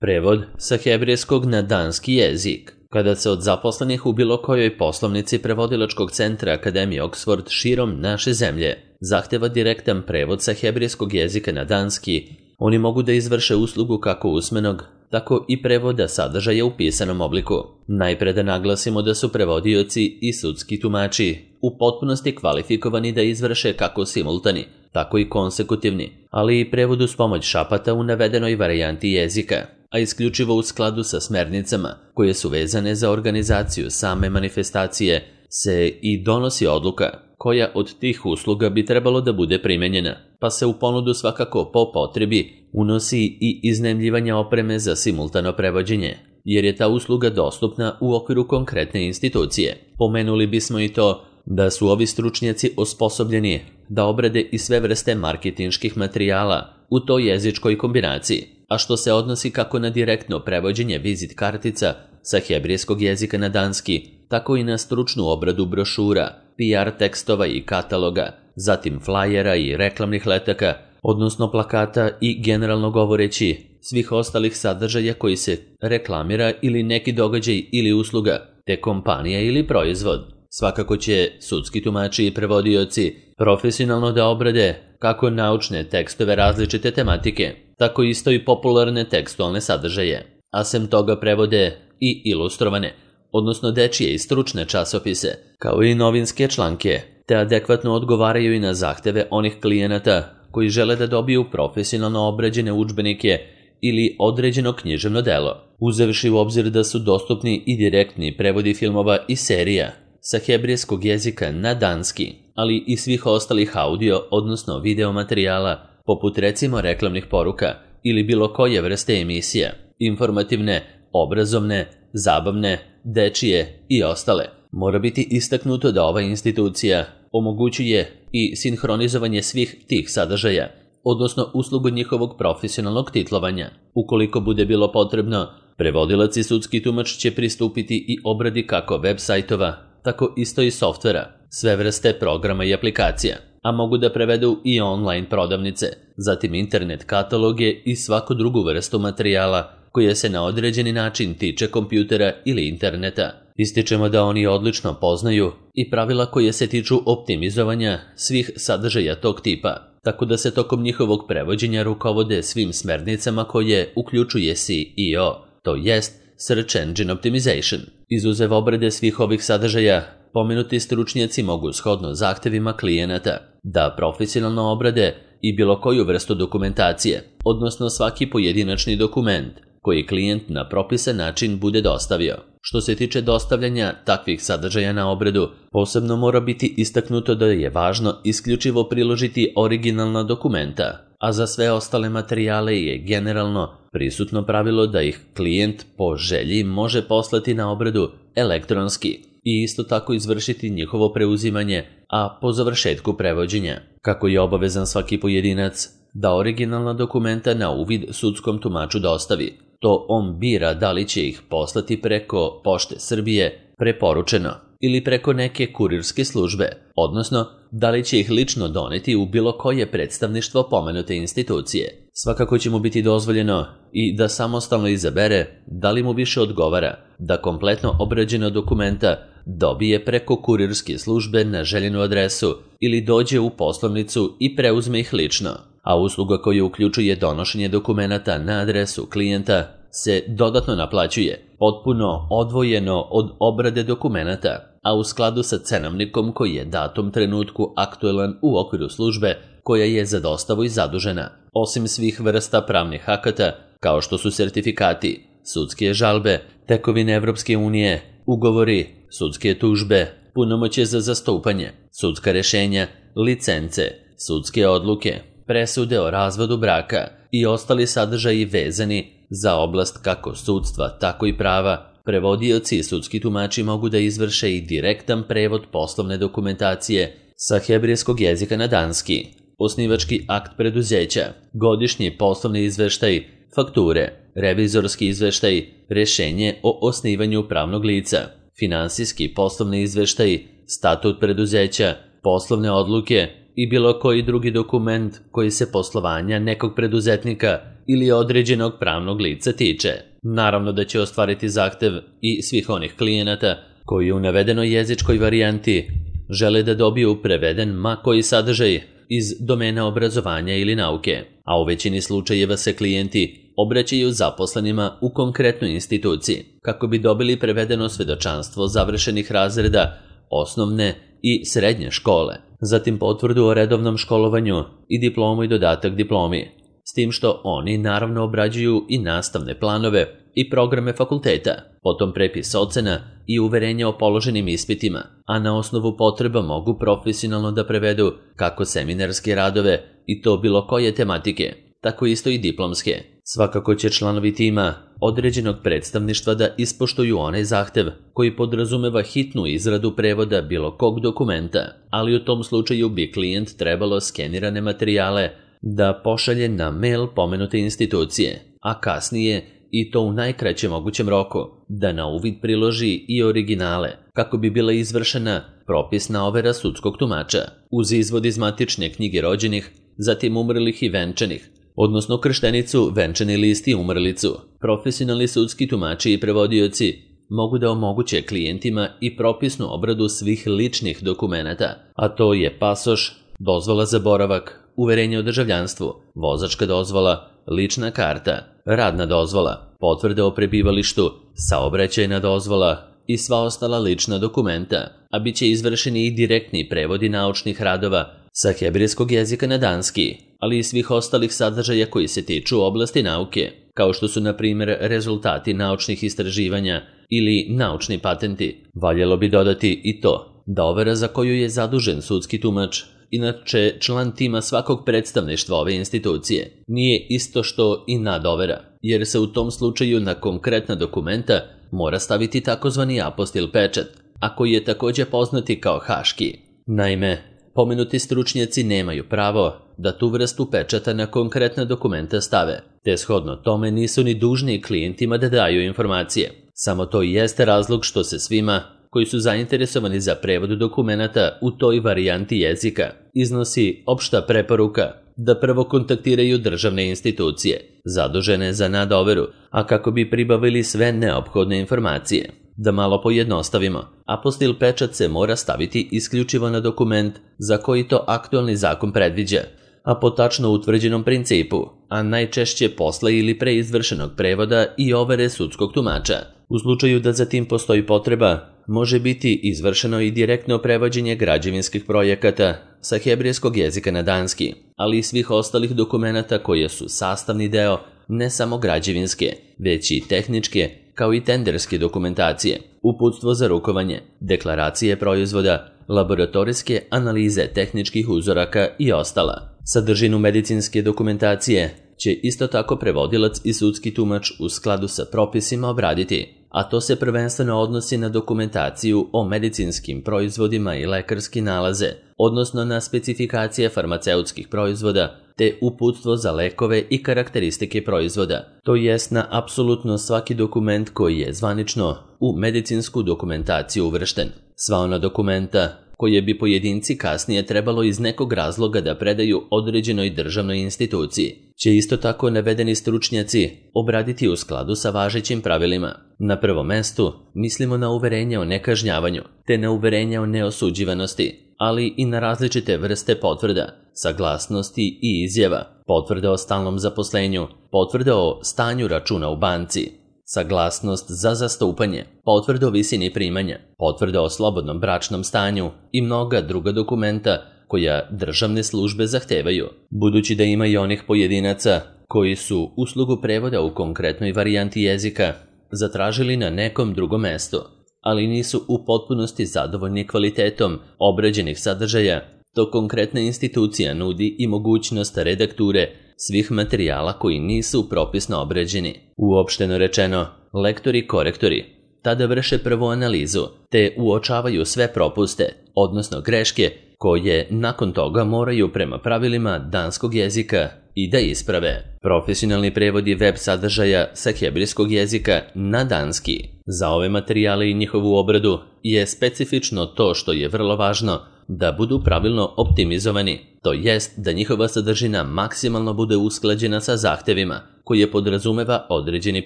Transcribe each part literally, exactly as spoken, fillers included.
Prevod sa hebrejskog na danski jezik. Kada se od zaposlenih u bilo kojoj poslovnici prevodilačkog centra Akademije Oxford širom naše zemlje zahteva direktan prevod sa hebrejskog jezika na danski, oni mogu da izvrše uslugu kako usmenog, tako i prevoda sadržaja u pisanom obliku. Najpre da naglasimo da su prevodioci i sudski tumači u potpunosti kvalifikovani da izvrše kako simultani, tako i konsekutivni, ali i prevod uz pomoć šapata u navedenoj varijanti jezika, a isključivo u skladu sa smernicama koje su vezane za organizaciju same manifestacije, se i donosi odluka koja od tih usluga bi trebalo da bude primenjena, pa se u ponudu svakako po potrebi unosi i iznajmljivanje opreme za simultano prevođenje, jer je ta usluga dostupna u okviru konkretne institucije. Pomenuli bismo i to da su ovi stručnjaci osposobljeni da obrade i sve vrste marketinških materijala u toj jezičkoj kombinaciji, a što se odnosi kako na direktno prevođenje vizit kartica sa hebrejskog jezika na danski, tako i na stručnu obradu brošura, P R tekstova i kataloga, zatim flajera i reklamnih letaka, odnosno plakata i generalno govoreći svih ostalih sadržaja koji se reklamira ili neki događaj ili usluga, te kompanija ili proizvod. Svakako će sudski tumači i prevodioci profesionalno da obrade kako naučne tekstove različite tematike, tako isto i popularne tekstualne sadržaje, a sem toga prevode i ilustrovane, odnosno dečije i stručne časopise, kao i novinske članke, te adekvatno odgovaraju i na zahteve onih klijenata koji žele da dobiju profesionalno obrađene udžbenike ili određeno književno delo, uzevši u obzir da su dostupni i direktni prevodi filmova i serija sa hebrejskog jezika na danski, ali i svih ostalih audio, odnosno video materijala, poput recimo reklamnih poruka ili bilo koje vrste emisija, informativne, obrazovne, zabavne, dečije i ostale. Mora biti istaknuto da ova institucija omogućuje i sinhronizovanje svih tih sadržaja, odnosno uslugu njihovog profesionalnog titlovanja. Ukoliko bude bilo potrebno, prevodilac i sudski tumač će pristupiti i obradi kako web sajtova, tako isto i softvera, sve vrste programa i aplikacija, a mogu da prevedu i online prodavnice, zatim internet kataloge i svaku drugu vrstu materijala koja se na određeni način tiče kompjutera ili interneta. Ističemo da oni odlično poznaju i pravila koje se tiču optimizovanja svih sadržaja tog tipa, tako da se tokom njihovog prevođenja rukovode svim smernicama koje uključuje S E O, to jest Search Engine Optimization. Izuzev obrade svih ovih sadržaja, pomenuti stručnjaci mogu shodno zahtevima klijenata da profesionalno obrade i bilo koju vrstu dokumentacije, odnosno svaki pojedinačni dokument koji klijent na propisan način bude dostavio. Što se tiče dostavljanja takvih sadržaja na obradu, posebno mora biti istaknuto da je važno isključivo priložiti originalna dokumenta, a za sve ostale materijale je generalno prisutno pravilo da ih klijent po želji može poslati na obradu elektronski i isto tako izvršiti njihovo preuzimanje, a po završetku prevođenja. Kako je obavezan svaki pojedinac da originalna dokumenta na uvid sudskom tumaču dostavi, to on bira da li će ih poslati preko Pošte Srbije, preporučeno, ili preko neke kurirske službe, odnosno da li će ih lično doneti u bilo koje predstavništvo pomenute institucije. Svakako će mu biti dozvoljeno i da samostalno izabere da li mu više odgovara da kompletno obrađena dokumenta dobije preko kurirske službe na željenu adresu ili dođe u poslovnicu i preuzme ih lično, a usluga koja uključuje donošenje dokumenata na adresu klijenta se dodatno naplaćuje, potpuno odvojeno od obrade dokumenata, a u skladu sa cenovnikom koji je datom trenutku aktuelan u okviru službe koja je za dostavu i zadužena. Osim svih vrsta pravnih akata, kao što su sertifikati, sudske žalbe, tekovine Evropske unije, ugovori, sudske tužbe, punomoćje za zastupanje, sudska rešenja, licence, sudske odluke, presude o razvodu braka i ostali sadržaji vezani za oblast kako sudstva, tako i prava, prevodioci i sudski tumači mogu da izvrše i direktan prevod poslovne dokumentacije sa hebrejskog jezika na danski, osnivački akt preduzeća, godišnji poslovni izveštaj, fakture, revizorski izveštaj, rešenje o osnivanju pravnog lica, finansijski poslovni izveštaj, statut preduzeća, poslovne odluke i bilo koji drugi dokument koji se poslovanja nekog preduzetnika ili određenog pravnog lica tiče. Naravno da će ostvariti zahtev i svih onih klijenata koji u navedenoj jezičkoj varijanti žele da dobiju preveden ma koji sadržaj iz domena obrazovanja ili nauke, a u većini slučajeva se klijenti obraćaju zaposlenima u konkretnoj instituciji kako bi dobili prevedeno svedočanstvo završenih razreda osnovne i srednje škole, zatim potvrdu o redovnom školovanju i diplomu i dodatak diplomi, s tim što oni naravno obrađuju i nastavne planove i programe fakulteta, potom prepis ocena i uverenje o položenim ispitima, a na osnovu potreba mogu profesionalno da prevedu kako seminarske radove i to bilo koje tematike, tako isto i diplomske. Svakako će članovi tima određenog predstavništva da ispoštuju onaj zahtev koji podrazumeva hitnu izradu prevoda bilo kog dokumenta, ali u tom slučaju bi klijent trebalo skenirane materijale da pošalje na mail pomenute institucije, a kasnije, i to u najkraćem mogućem roku, da na uvid priloži i originale, kako bi bila izvršena propisna overa sudskog tumača, uz izvod iz matične knjige rođenih, zatim umrlih i venčanih, odnosno krštenicu, venčani list i umrlicu. Profesionalni sudski tumači i prevodioci mogu da omoguće klijentima i propisnu obradu svih ličnih dokumenata, a to je pasoš, dozvola za boravak, uverenje o državljanstvu, vozačka dozvola, lična karta, radna dozvola, potvrda o prebivalištu, saobraćajna dozvola i sva ostala lična dokumenta, a bit će izvršeni i direktni prevodi naučnih radova sa hebrejskog jezika na danski, ali i svih ostalih sadržaja koji se tiču oblasti nauke, kao što su, na primjer, rezultati naučnih istraživanja ili naučni patenti. Valjalo bi dodati i to da overa za koju je zadužen sudski tumač, inače član tima svakog predstavništva ove institucije, nije isto što i nadovera, jer se u tom slučaju na konkretna dokumenta mora staviti takozvani apostil pečat, a koji je također poznati kao haški. Naime, pomenuti stručnjaci nemaju pravo da tu vrstu pečata na konkretna dokumenta stave, te shodno tome nisu ni dužni klijentima da daju informacije. Samo to i jeste razlog što se svima koji su zainteresovani za prevod dokumenata u toj varijanti jezika iznosi opšta preporuka da prvo kontaktiraju državne institucije zadužene za nadoveru, a kako bi pribavili sve neophodne informacije. Da malo pojednostavimo, apostil pečat se mora staviti isključivo na dokument za koji to aktualni zakon predviđa, a po tačno utvrđenom principu, a najčešće posle ili pre izvršenog prevoda i overe sudskog tumača. U slučaju da za tim postoji potreba, može biti izvršeno i direktno prevođenje građevinskih projekata sa hebrejskog jezika na danski, ali i svih ostalih dokumenata koje su sastavni deo ne samo građevinske, već i tehničke, kao i tenderske dokumentacije, uputstvo za rukovanje, deklaracije proizvoda, laboratorijske analize tehničkih uzoraka i ostala. Sadržinu medicinske dokumentacije će isto tako prevodilac i sudski tumač u skladu sa propisima obraditi, a to se prvenstveno odnosi na dokumentaciju o medicinskim proizvodima i lekarski nalaze, odnosno na specifikacije farmaceutskih proizvoda, te uputstvo za lekove i karakteristike proizvoda, to jest na apsolutno svaki dokument koji je zvanično u medicinsku dokumentaciju uvršten. Sva ona dokumenta koje bi pojedinci kasnije trebalo iz nekog razloga da predaju određenoj državnoj instituciji, će isto tako navedeni stručnjaci obraditi u skladu sa važećim pravilima. Na prvom mestu mislimo na uverenje o nekažnjavanju, te na uverenje o neosuđivanosti, ali i na različite vrste potvrda, saglasnosti i izjava, potvrda o stalnom zaposlenju, potvrda o stanju računa u banci, saglasnost za zastupanje, potvrda o visini primanja, potvrda o slobodnom bračnom stanju i mnoga druga dokumenta koja državne službe zahtevaju. Budući da ima i onih pojedinaca koji su uslugu prevoda u konkretnoj varijanti jezika zatražili na nekom drugom mestu, ali nisu u potpunosti zadovoljni kvalitetom obrađenih sadržaja, to konkretna institucija nudi i mogućnost redakture svih materijala koji nisu propisno obrađeni. Uopšteno rečeno, lektori-korektori tada vrše prvu analizu, te uočavaju sve propuste, odnosno greške, koje nakon toga moraju prema pravilima danskog jezika i da isprave. Profesionalni prevodi web sadržaja sa hebrejskog jezika na danski. Za ove materijale i njihovu obradu je specifično to što je vrlo važno da budu pravilno optimizovani, to jest da njihova sadržina maksimalno bude usklađena sa zahtevima koje podrazumeva određeni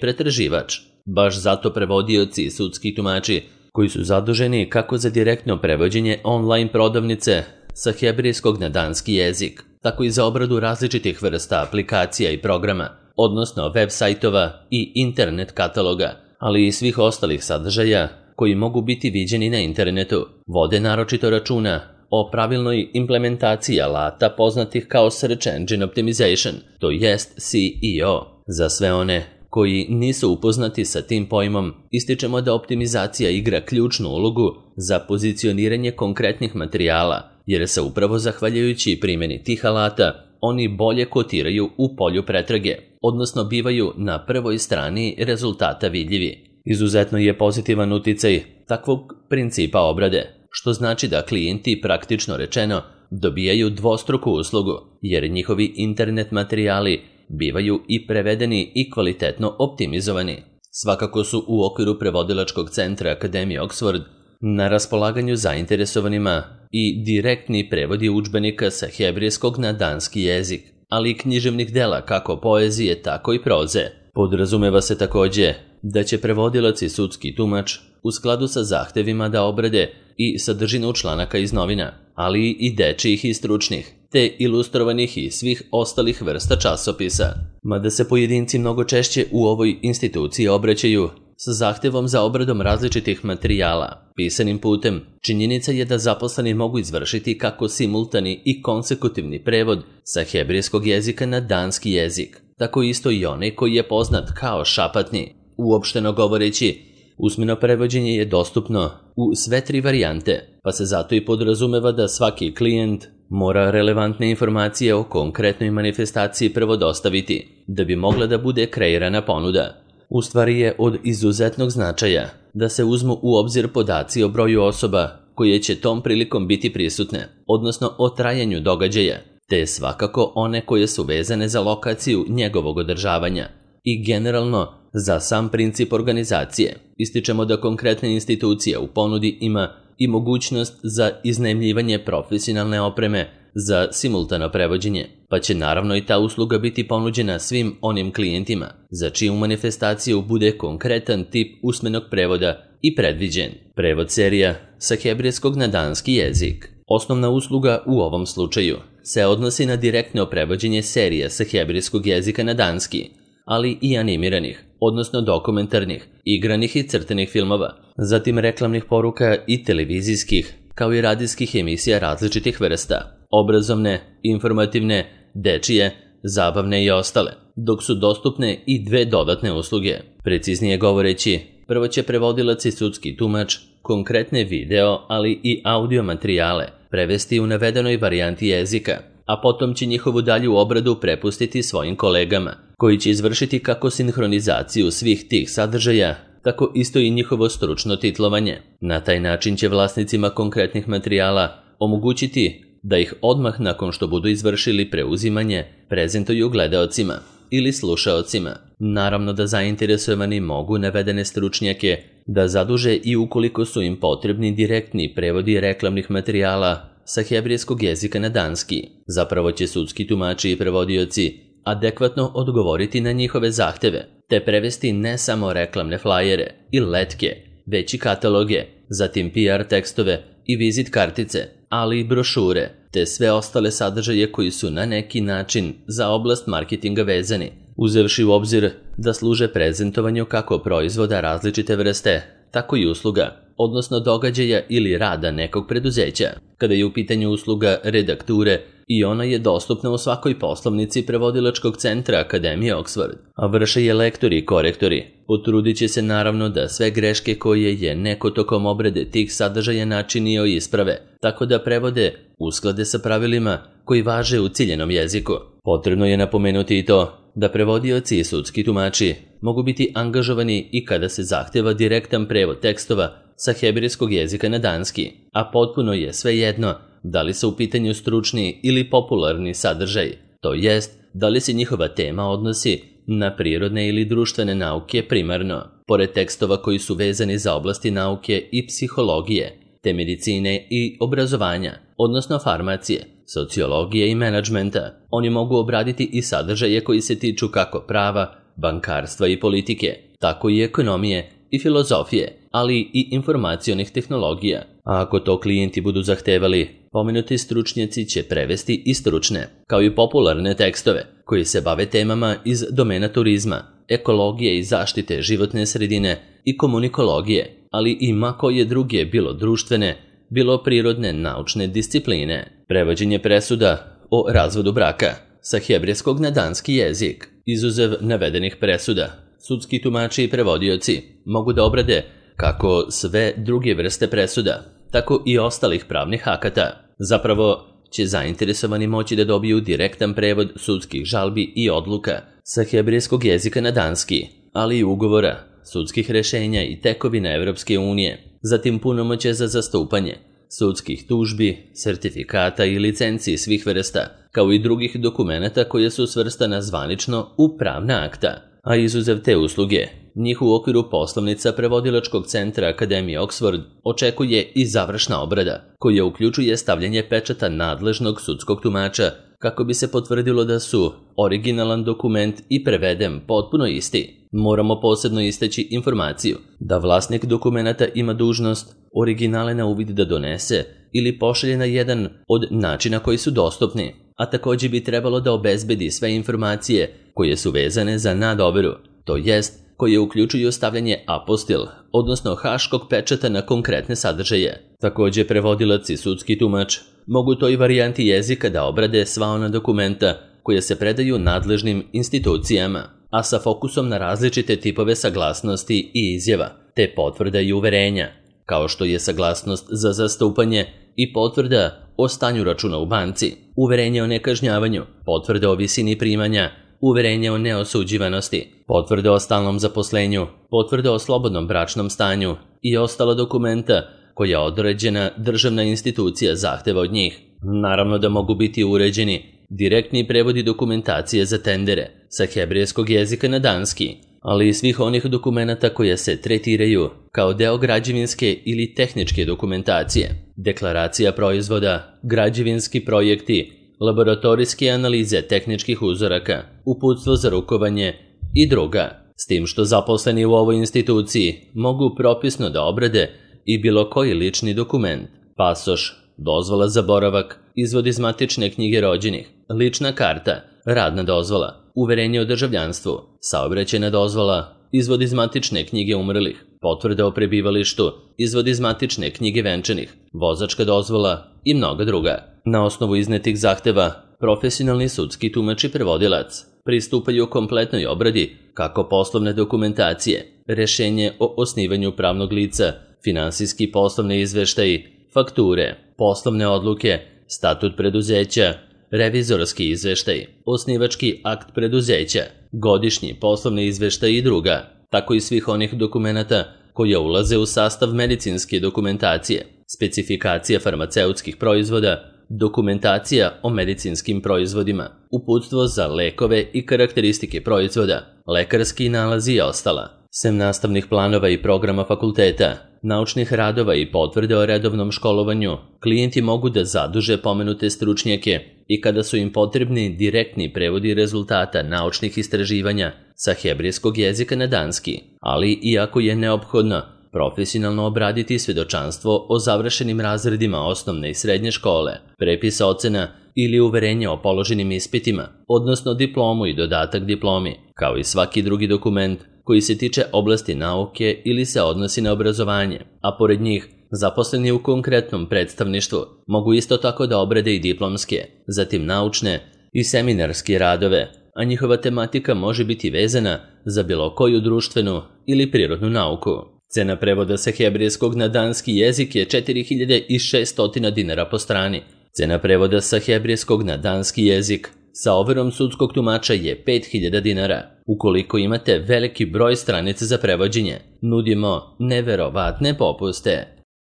pretraživač. Baš zato prevodioci i sudski tumači koji su zaduženi kako za direktno prevođenje online prodavnice sa hebrejskog na danski jezik, tako i za obradu različitih vrsta aplikacija i programa, odnosno web sajtova i internet kataloga, ali i svih ostalih sadržaja koji mogu biti viđeni na internetu, vode naročito računa o pravilnoj implementaciji alata poznatih kao Search Engine Optimization, to jest S E O. Za sve one koji nisu upoznati sa tim pojmom, ističemo da optimizacija igra ključnu ulogu za pozicioniranje konkretnih materijala, jer se upravo zahvaljujući primjeni tih alata oni bolje kotiraju u polju pretrage, odnosno bivaju na prvoj strani rezultata vidljivi. Izuzetno je pozitivan uticaj takvog principa obrade, što znači da klijenti praktično rečeno dobijaju dvostruku uslugu, jer njihovi internet materijali bivaju i prevedeni i kvalitetno optimizovani. Svakako su u okviru prevodilačkog centra Akademije Oxford na raspolaganju zainteresovanima i direktni prevodi udžbenika sa hebrejskog na danski jezik, ali i književnih dela kako poezije, tako i proze. Podrazumeva se takođe da će prevodilac i sudski tumač u skladu sa zahtevima da obrade i sadržinu članaka iz novina, ali i dečijih i stručnih, te ilustrovanih i svih ostalih vrsta časopisa. Mada se pojedinci mnogo češće u ovoj instituciji obraćaju sa zahtevom za obradom različitih materijala pisanim putem, činjenica je da zaposleni mogu izvršiti kako simultani i konsekutivni prevod sa hebrejskog jezika na danski jezik, tako isto i onaj koji je poznat kao šapatni. Uopšteno govoreći, usmeno prevođenje je dostupno u sve tri varijante, pa se zato i podrazumeva da svaki klijent mora relevantne informacije o konkretnoj manifestaciji prvo dostaviti, da bi mogla da bude kreirana ponuda. U stvari je od izuzetnog značaja da se uzmu u obzir podaci o broju osoba koje će tom prilikom biti prisutne, odnosno o trajanju događaja, te svakako one koje su vezane za lokaciju njegovog održavanja i generalno za sam princip organizacije. Ističemo da konkretna institucija u ponudi ima i mogućnost za iznajmljivanje profesionalne opreme za simultano prevođenje, pa će naravno i ta usluga biti ponuđena svim onim klijentima za čiju manifestaciju bude konkretan tip usmenog prevoda i predviđen. Prevod serija sa hebrejskog na danski jezik. Osnovna usluga u ovom slučaju se odnosi na direktno prevođenje serija sa hebrejskog jezika na danski, ali i animiranih, odnosno dokumentarnih, igranih i crtenih filmova, zatim reklamnih poruka i televizijskih, kao i radijskih emisija različitih vrsta, obrazovne, informativne, dečije, zabavne i ostale, dok su dostupne i dve dodatne usluge. Preciznije govoreći, prvo će prevodilac i sudski tumač konkretne video, ali i audio materijale prevesti u navedenoj varijanti jezika, a potom će njihovu dalju obradu prepustiti svojim kolegama, koji će izvršiti kako sinhronizaciju svih tih sadržaja, tako isto i njihovo stručno titlovanje. Na taj način će vlasnicima konkretnih materijala omogućiti da ih odmah nakon što budu izvršili preuzimanje prezentuju gledaocima ili slušaocima. Naravno da zainteresovani mogu navedene stručnjake da zaduže i ukoliko su im potrebni direktni prevodi reklamnih materijala sa hebrejskog jezika na danski. Zapravo će sudski tumači i prevodioci adekvatno odgovoriti na njihove zahteve, te prevesti ne samo reklamne flajere i letke, već i kataloge, zatim P R tekstove i vizit kartice, ali i brošure, te sve ostale sadržaje koji su na neki način za oblast marketinga vezani, uzevši u obzir da služe prezentovanju kako proizvoda različite vrste, tako i usluga, odnosno događaja ili rada nekog preduzeća. Kada je u pitanju usluga redakture, i ona je dostupna u svakoj poslovnici prevodilačkog centra Akademije Oxford, a vrše je lektori i korektori. Potrudit će se naravno da sve greške koje je neko tokom obrade tih sadržaja načinio isprave, tako da prevode usklade sa pravilima koji važe u ciljenom jeziku. Potrebno je napomenuti i to da prevodioci i sudski tumači mogu biti angažovani i kada se zahteva direktan prevod tekstova sa hebrejskog jezika na danski, a potpuno je svejedno da li su u pitanju stručni ili popularni sadržaj, to jest da li se njihova tema odnosi na prirodne ili društvene nauke primarno, pored tekstova koji su vezani za oblasti nauke i psihologije, te medicine i obrazovanja, odnosno farmacije, sociologije i menadžmenta. Oni mogu obraditi i sadržaje koji se tiču kako prava, bankarstva i politike, tako i ekonomije i filozofije, ali i informacionih tehnologija. A ako to klijenti budu zahtevali, pomenuti stručnjaci će prevesti i stručne, kao i popularne tekstove, koji se bave temama iz domena turizma, ekologije i zaštite životne sredine i komunikologije, ali i ma koje druge bilo društvene, bilo prirodne naučne discipline. Prevođenje presuda o razvodu braka sa hebrejskog na danski jezik. Izuzev navedenih presuda, sudski tumači i prevodioci mogu da obrade kako sve druge vrste presuda, tako i ostalih pravnih akata. Zapravo će zainteresovani moći da dobiju direktan prevod sudskih žalbi i odluka sa hebrejskog jezika na danski, ali i ugovora, sudskih rešenja i tekovina Evropske unije, zatim punomoćje za zastupanje, sudskih tužbi, sertifikata i licenci svih vrsta, kao i drugih dokumenata koje su svrstana zvanično u pravna akta. A izuzev te usluge, njih u okviru poslovnica prevodilačkog centra Akademije Oxford očekuje i završna obrada, koja uključuje stavljanje pečata nadležnog sudskog tumača kako bi se potvrdilo da su originalan dokument i preveden potpuno isti. Moramo posebno istaći informaciju da vlasnik dokumenata ima dužnost originale na uvid da donese ili pošalje na jedan od načina koji su dostupni, a također bi trebalo da obezbedi sve informacije koje su vezane za nadoberu, to jest koje uključuju stavljanje apostil, odnosno haškog pečata na konkretne sadržaje. Također prevodilac i sudski tumač mogu toj varijanti jezika da obrade sva ona dokumenta koje se predaju nadležnim institucijama, a sa fokusom na različite tipove saglasnosti i izjava, te potvrda i uverenja, kao što je saglasnost za zastupanje i potvrda o stanju računa u banci, uverenje o nekažnjavanju, potvrda o visini primanja, uverenje o neosuđivanosti, potvrda o stalnom zaposlenju, potvrda o slobodnom bračnom stanju i ostala dokumenta koja određena državna institucija zahteva od njih. Naravno da mogu biti uređeni direktni prevodi dokumentacije za tendere sa hebrejskog jezika na danski, ali i svih onih dokumenata koje se tretiraju kao deo građevinske ili tehničke dokumentacije, deklaracija proizvoda, građevinski projekti, laboratorijske analize tehničkih uzoraka, uputstvo za rukovanje i druga, s tim što zaposleni u ovoj instituciji mogu propisno da obrade i bilo koji lični dokument, pasoš, dozvola za boravak, izvod iz matične knjige rođenih, lična karta, radna dozvola, uverenje o državljanstvu, saobraćajna dozvola, izvod iz matične knjige umrlih, potvrda o prebivalištu, izvod iz matične knjige venčanih, vozačka dozvola i mnoga druga. Na osnovu iznetih zahteva, profesionalni sudski tumač i prevodilac pristupaju kompletnoj obradi kako poslovne dokumentacije, rešenje o osnivanju pravnog lica, finansijski poslovne izveštaji, fakture, poslovne odluke, statut preduzeća, revizorski izveštaj, osnivački akt preduzeća, godišnji poslovni izveštaj i druga, tako i svih onih dokumenata koje ulaze u sastav medicinske dokumentacije, specifikacija farmaceutskih proizvoda, dokumentacija o medicinskim proizvodima, uputstvo za lekove i karakteristike proizvoda, lekarski nalazi i ostala. Sem nastavnih planova i programa fakulteta, naučnih radova i potvrde o redovnom školovanju, klijenti mogu da zaduže pomenute stručnjake i kada su im potrebni direktni prevodi rezultata naučnih istraživanja sa hebrejskog jezika na danski, ali i ako je neophodno profesionalno obraditi svedočanstvo o završenim razredima osnovne i srednje škole, prepis ocena ili uverenje o položenim ispitima, odnosno diplomu i dodatak diplomi, kao i svaki drugi dokument koji se tiče oblasti nauke ili se odnosi na obrazovanje, a pored njih zaposleni u konkretnom predstavništvu mogu isto tako da obrade i diplomske, zatim naučne i seminarske radove, a njihova tematika može biti vezana za bilo koju društvenu ili prirodnu nauku. Cena prevoda sa hebrejskog na danski jezik je četiri hiljade šesto dinara po strani. Cena prevoda sa hebrejskog na danski jezik sa overom sudskog tumača je pet hiljada dinara. Ukoliko imate veliki broj stranica za prevođenje, nudimo neverovatne popuste.